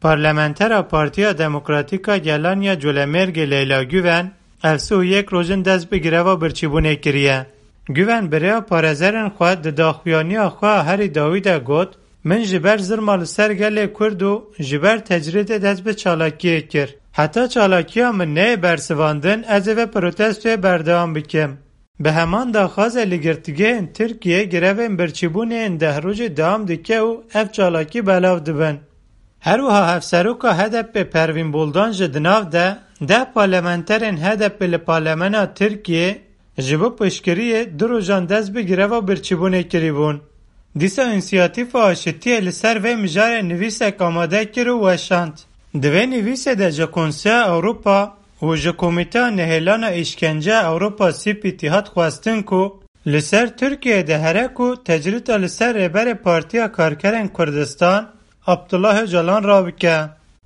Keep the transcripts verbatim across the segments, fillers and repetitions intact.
Parlamentera Partiya Demokratîk a Gelan ya Colemêrgê Leyla Guven, ev sih û yek roj in dest bi greva birçîbûnê kiriye. Guven bi rêya parêzerên xwe di daxuyaniya xwe a herî dawî de got, Min ji ber zilma li ser gelê Kurd û ji ber tecrîdê dest bi çalakiyê kir. Heta çalakiya min neyê bersivandin, ez ê vê protestoyê berdewam bikim. Bi heman daxwazê li girtîgehên Tirkiyê grevên birçîbûnê yên deh rojî dewam dike û ev çalakî belav dibin. Her wiha Hevseroka H D P Pervîn Buldan jî di nav de deh parlamenterên H D P li Parlemena Tirkiyê ji bo piştgiriyê du rojan dest bi greva birçîbûnê kirîbûn. Dîsa Însiyatîfa Aşitiyê li ser vê mijarê nivîsek amade kir û weşand. Di vê nivîsê de ji Konseya Ewropa û ji Komîteya Nehêlana Îşkence Ewropa C P T hat xwestin ku li ser Tirkiyeyê de here ku tecrîda li ser Rêberê Partiya Karkerên Kurdistan Abdullah Ocalan rabike.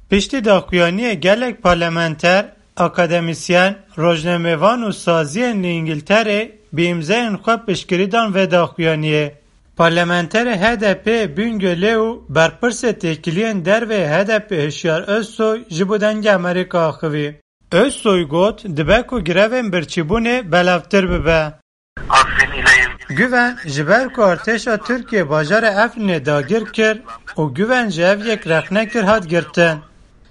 Piştî daxuyaniyê gelek parlamenter, akademîsyen, rojnamevan û saziyên li Îngilterê bi îmzeyên xwe piştgirî dan vê daxuyaniyê. Parlamenterê H D P Bingölê û berpirsê têkiliyên derveyê H D P Hişyar Özsoy ji bo Dengê Amerîka axivî. Özsoy got, dibe ku grevên birçîbûnê belavtir bibe. Güven ji ber ku artêşa Tirkiyê bajarê Efrînê dagir kir û Güven ji ev yek rexne kir hat girtin.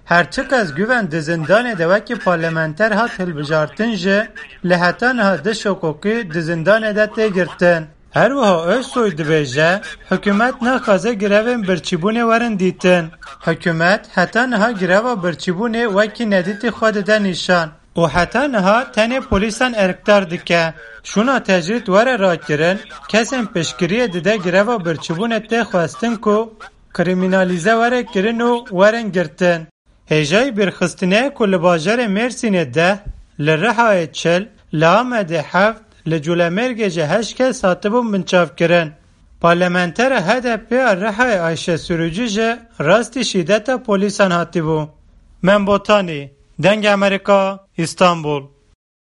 Her çiqas Güven di zindanê de wekî parlamenter hat hilbijartin jî, lê heta niha du şokokî di zindanê de tê girtin. Her wiha Özsoy dibêje, hikûmet naxwaze grevên birçîbûnê werin dîtin. Hikûmet heta niha greva birçîbûnê wekî nedîtî xwe dide nîşan û heta niha tenê polîsan erkdar dike. Şûna tecrîd were rakirin, kesên piştgiriyê dide greva birçîbûnê tê xwestin ku krîmînalîze were kirin û werin girtin. Hêjayî bîrxistinê ye ku li bajarê Mêrsînê deh, li Rihayê çil, li Amedê heft, li Colemêrgê jî heşt kes hatibûn binçavkirin. Parlamentera H D P ya Rihayê Ayşe Sürücü jî rastî şîdeta polîsan hatibû. Mem Botanî, Dengê Amerîka, Îstanbul.